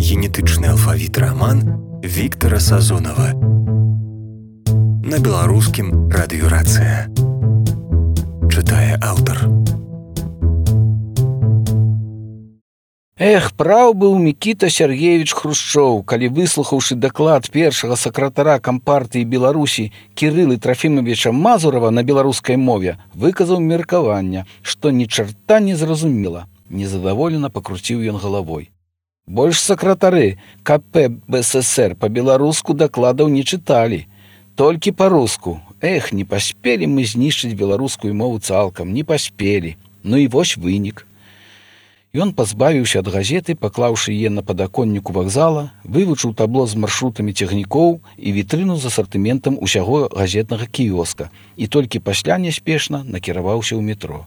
генетычны алфавіт раман Віктара Сазонава. На беларускім радыёрацыя. Чытае аўтар. Праў быў Мікіта Сергеевич Хрушчоў, калі, выслухаўшы даклад першага сакратара Кампартыі Беларусі Кірылы Трафімавіча Мазурава на беларускай мове, выказаў меркаванне, што ні чарта не зразумела. Незадаволена пакруціў ён галавой. Больш сакратары КП БССР па-беларуску дакладаў не чыталі, толькі па-руску. Не паспелі мы знішчыць беларускую мову цалкам, не паспелі. Ну і вось вынік. Ён пазбавіўся ад газеты, паклаўшы яе на падаконніку вакзала, вывучыў табло з маршрутамі цягнікоў і вітрыну з асартыментам усяго газетнага кіёска і толькі пасля няспешна накіраваўся ў метро.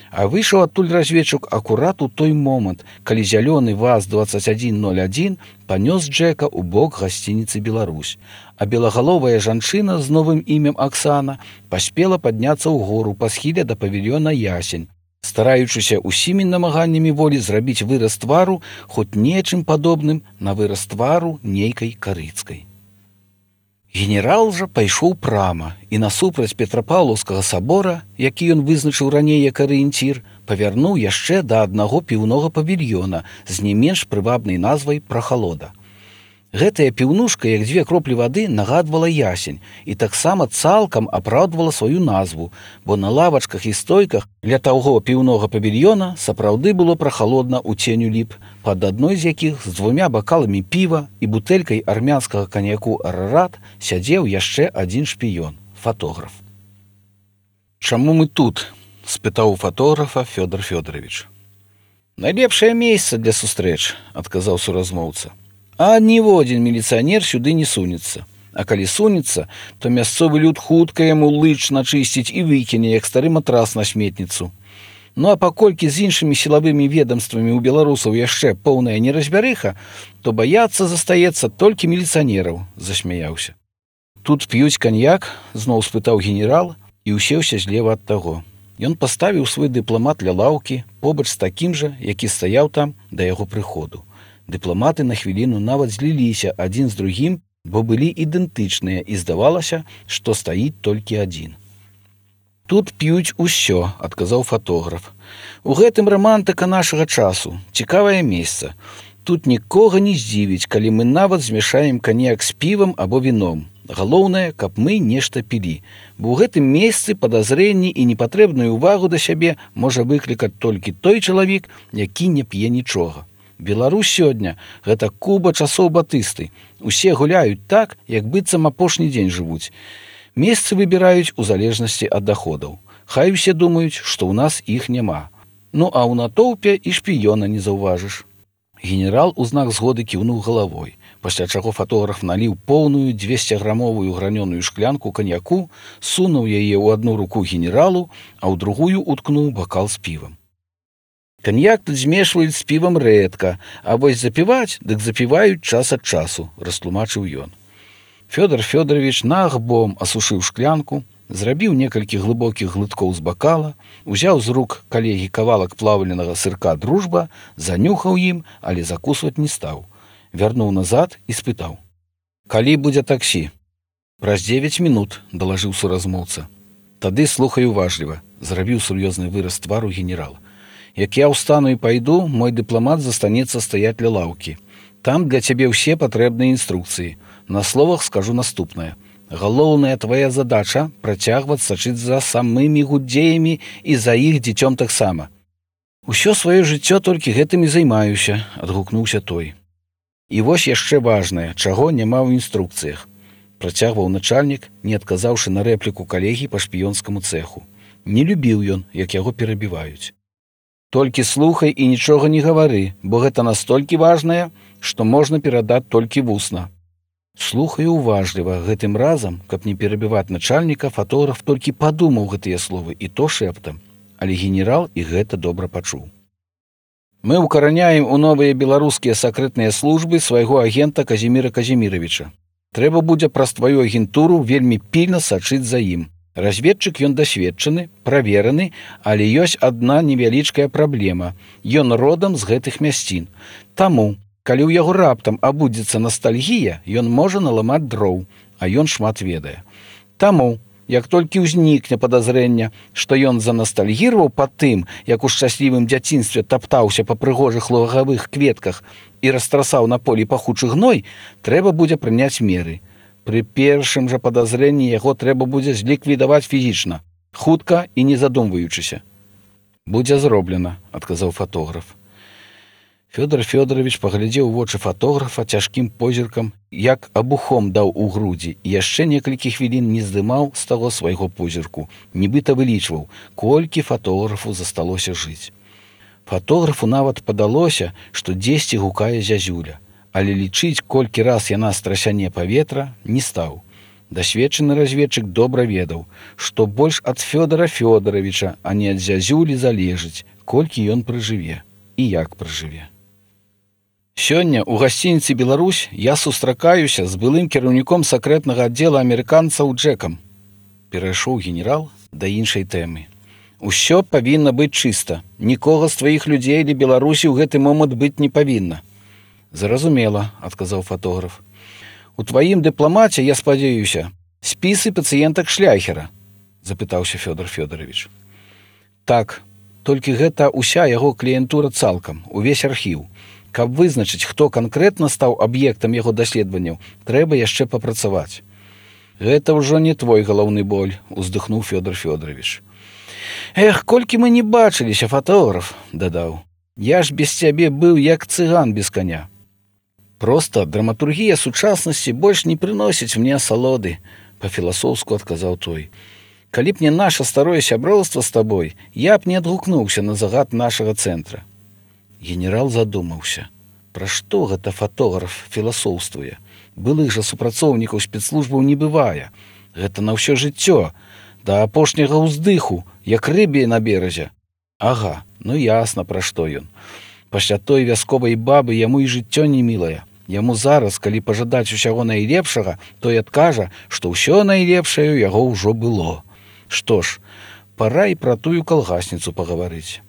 А выйшаў адтуль разведчык акурат у той момант, калі зялёны ВАЗ-2101 панёс Джека ў бок гасцініцы «Беларусь», а белагаловая жанчына з новым імем Аксана паспела падняцца ў гору па схіле да павільёна «Ясень», стараючыся усімі намаганнямі волі зрабіць выраз твару хоць нечым падобным на выраз твару нейкай карыцкай. Генерал жа пайшоў прама і насупраць Петрапаўлаўскага сабора, які ён вызначыў раней як арыенцір, павярнуў яшчэ да аднаго піўнога павільёна з не менш прывабнай назвай «Прахалода». Гэтая піўнушка, як дзве кроплі вады, нагадвала ясень і таксама цалкам апраўдвала сваю назву, бо на лавачках і стойках ля таго піўнога павільёна сапраўды было прахалодна ў ценю ліп, пад адной з якіх з 2 бакаламі піва і бутэлькай армянскага каньяку «Арарат» сядзеў яшчэ адзін шпіён – фатограф. «Чаму мы тут?» – спытаў у фатографа Фёдор Фёдорович. «Найлепшае месца для сустрэч», – адказаў суразмоўца. А ніводзін міліцыянер сюды не сунецца. А калі сунецца, то мясцовы люд хутка яму лыч начысціць і выкіне, як стары матрас на сметніцу. Ну а паколькі з іншымі сілавымі ведомствамі ў беларусаў яшчэ поўная неразбярыха, то баяцца застаецца толькі міліцыянераў, засмяяўся. Тут п'юць каньяк, зноў спытаў генерал і усеўся злева ад таго. Ён паставіў свой дыпламат ля лаўкі побач з такім жа, які стаяў там да яго прыходу. Дыпламаты на хвіліну нават зліліся адзін з другім, бо былі ідэнтычныя і здавалася, што стаіць толькі адзін. «Тут п'юць усё», – адказаў фатограф. «У гэтым рамантыка нашага часу, цікавае месца. Тут нікога не здзівіць, калі мы нават змяшаем каньяк з півам або віном. Галоўнае, каб мы нешта пілі, бо ў гэтым месцы падазрэнні і непатрэбную ўвагу да сябе можа выклікаць толькі той чалавек, які не п'е нічога. Беларусь сёння – гэта Куба часоў Батысты. Усе гуляюць так, як быццам апошні дзень жывуць. Месцы выбіраюць у залежнасці ад даходаў. Хай усе думаюць, што ў нас іх няма. Ну а ў натоўпе і шпіёна не заўважыш». Генерал у знак згоды кіўнуў галавой, пасля чаго фатограф наліў поўную 200-грамовую гранёную шклянку каньяку, сунуў яе ў адну руку генералу, а ў другую уткнуў бакал з півам. «Каньяк тут змешваюць з півам рэдка, а вось запіваць, дык запіваюць час ад часу», – растлумачыў ён. Фёдор Фёдорович наахбом асушыў шклянку, зрабіў некалькі глыбокіх глыткоў з бакала, узяў з рук калегі кавалак плаўленага сырка «Дружба», занюхаў ім, але закусваць не стаў. Вярнуў назад і спытаў. «Калі будзе таксі?» «Праз 9 мінут», – далажыў суразмоўца. «Тады слухай уважліва», – зрабіў сур'ёзны выраз твару генерал. «Як я ўстану і пайду, мой дыпламат застанецца стаяць ля лаўкі. Там для цябе ўсе патрэбныя інструкцыі. На словах скажу наступнае. Галоўная твая задача – працягваць сачыць за самымі гудзеямі і за іх дзіцём таксама». «Усё сваё жыццё толькі гэтым і займаюся», – адгукнуўся той. «І вось яшчэ важнае, чаго няма ў інструкцыях», – працягваў начальнік, не адказаўшы на рэпліку калегі па шпіёнскаму цэху. Не любіў ён, як яго перабіваюць. «Толькі слухай і нічога не гавары, бо гэта настолькі важнае, што можна перадаць толькі вусна». Слухаю уважліва. Гэтым разам, каб не перабіваць начальніка, фатограф толькі падумаў гэтыя словы, і то шэптам. Але генерал і гэта добра пачуў. «Мы ўкараняем у новыя беларускія сакрэтныя службы свайго агента Казіміра Казіміровича. Трэба будзе праз тваю агентуру вельмі пільна сачыць за ім. Разведчык ён дасведчаны, правераны, але ёсць адна невялічкая праблема. Ён родам з гэтых мясцін. Таму, Калі ў яго раптам абудзіцца ностальгія, ён можа наламаць дроў, а ён шмат ведае. Таму, як толькі ўзнікне падазрэнне, што ён заностальгіраваў па тым, як у шчаслівым дзяцінстве таптаўся па прыгожых лугавых кветках і растрасаў на полі пахучы гной, трэба будзе прыняць меры. Пры першым жа падазрэнні яго трэба будзе зліквідаваць фізічна, хутка і не задумваючыся. «Будзе зроблена», – адказаў фатограф. Фёдор Фёдорович паглядзеў у вочы фатографа цяжкім позіркам, як абухом даў у грудзі, і яшчэ некалькі хвілін не здымаў з таго свайго позірку, нібыта вылічваў, колькі фатографу засталося жыць. Фатографу нават падалося, што дзесьці гукае зязюля, але лічыць, колькі раз яна страсяне паветра, не стаў. Дасведчаны разведчык добра ведаў, што больш ад Фёдора Фёдоровича, а не ад зязюлі залежыць, колькі ён прыжыве і як прыжыве. Сёння ў гасцініцы «Беларусь» я сустракаюся з былым кіраўніком сакрэтнага аддзела амерыканцаў Джекам. Перайшоў генерал да іншай тэмы. Усё павінна быць чыста. Нікога з тваіх людзей для Беларусі ў гэты момант быць не павінна. Зразумела, адказаў фатограф. У тваім дыпламаце, я спадзяюся, спісы пацыентак Шляхера, запытаўся Фёдор Фёдорович. Так, толькі гэта ўся яго кліентура цалкам, увесь архіў. Каб вызначыць, хто канкрэтна стаў аб'ектам яго даследаванняў, трэба яшчэ папрацаваць. Гэта ўжо не твой галаўны боль, уздыхнуў Фёдор Фёдорович. Эх, колькі мы не бачыліся, фатограф, дадаў. Я ж без цябе быў як цыган без коня. Проста драматургія сучаснасці больш не прыносіць мне асалоды, па-філасофску адказаў той. Калі б не наша старое сяброўства з табой, я б не адгукнуўся на загад нашага цэнтра. Генерал задумаўся. Пра што гэта фатограф філасофствуе? Былых жа супрацоўнікаў спецслужбаў не бывае. Гэта на ўсё жыццё, да апошняга ўздыху, як рыбе на беразе. Ага, ну ясна, пра што ён. Пасля той вясковай бабы яму і жыццё не мілае. Яму зараз, калі пажадаць усяго найлепшага, той адкажа, што ўсё найлепшае ў яго ўжо было. Што ж, пара і пра тую калгасніцу пагаварыць.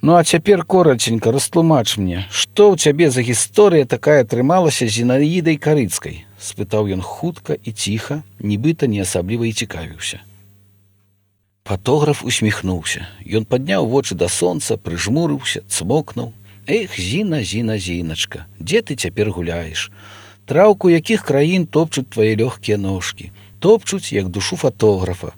Ну а цяпер кораценька растлумач мне, што ў цябе за гісторыя такая атрымалася з Зінаідай Карыцкай? Спытаў ён хутка і ціха, нібыта не асабліва і цікавіўся. Фатограф усміхнуўся. Ён падняў вочы да сонца, прыжмурыўся, цмокнуў. Эх, Зіна, Зіна, Зіначка, дзе ты цяпер гуляеш? Траўку якіх краін топчуць твае лёгкія ножкі, топчуць, як душу фатографа.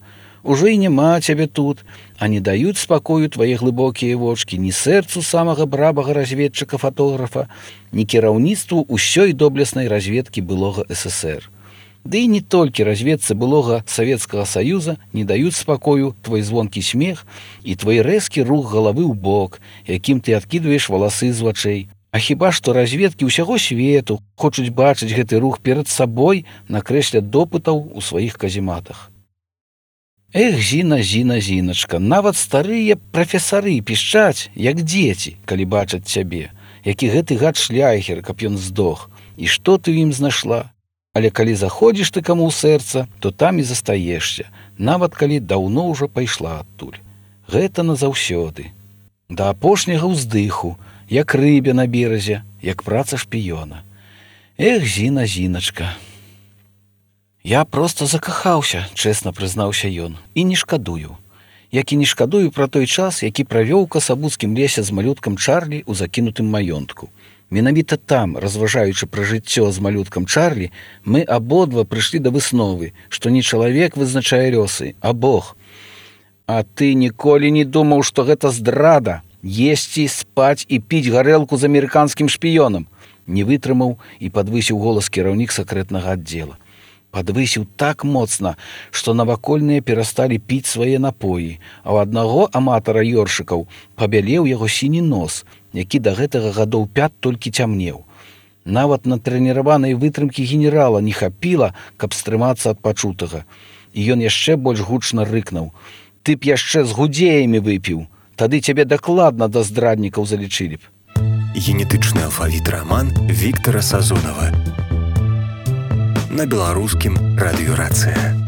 Ужо і няма цябе тут, а не даюць спакою твае глыбокія вочкі ні сэрцу самага брабага разведчыка-фатографа, ні кіраўніцтву ўсёй доблеснай разведкі былога СССР. Ды і не толькі разведцы былога Савецкага Саюза не даюць спакою твой звонкі смех і твой рэзкі рух галавы ў бок, якім ты адкідваеш валасы з вачэй. А хіба што разведкі ўсяго свету хочуць бачыць гэты рух перад сабой на крэсле допытаў у сваіх казематах. Эх, Зіна, Зіна, Зіначка, нават старыя прафесары пішчаць, як дзеці, калі бачаць цябе, які гэты гад Шляхер, каб ён здох, і што ты ў ім знайшла. Але калі заходзіш ты каму ў сэрца, то там і застаешся, нават калі даўно ўжо пайшла адтуль. Гэта назаўсёды. Да апошняга ўздыху, як рыбе на беразе, як праца шпіёна. Эх, Зіна, Зіначка. Я проста закахаўся, чэсна прызнаўся ён, і не шкадую. Як і не шкадую пра той час, які правёў у касабуцкім лесе з малюткам Чарлі ў закінутым маёнтку. Менавіта там, разважаючы пра жыццё з малюткам Чарлі, мы абодва прыйшлі да высновы, што не чалавек вызначае лёсы, а Бог. А ты ніколі не думаў, што гэта здрада, есці, спаць і піць гарэлку з амерыканскім шпіёнам? Не вытрымаў і падвысіў голас кіраўнік сакрэтнага аддзела. Падвысіў так моцна, што навакольныя перасталі піць свае напоі, а ў аднаго аматара ёршыкаў пабялеў яго сіні нос, які да гэтага гадоў 5 толькі цямнеў. Нават на трэніраванай вытрымкі генерала не хапіла, каб стрымацца ад пачутага. І ён яшчэ больш гучна рыкнуў. Ты б яшчэ з гудзеямі выпіў, тады цябе дакладна да здраднікаў залічылі б. Генетычны алфавіт раман Віктара Сазонава. На беларускім радыёрацыя.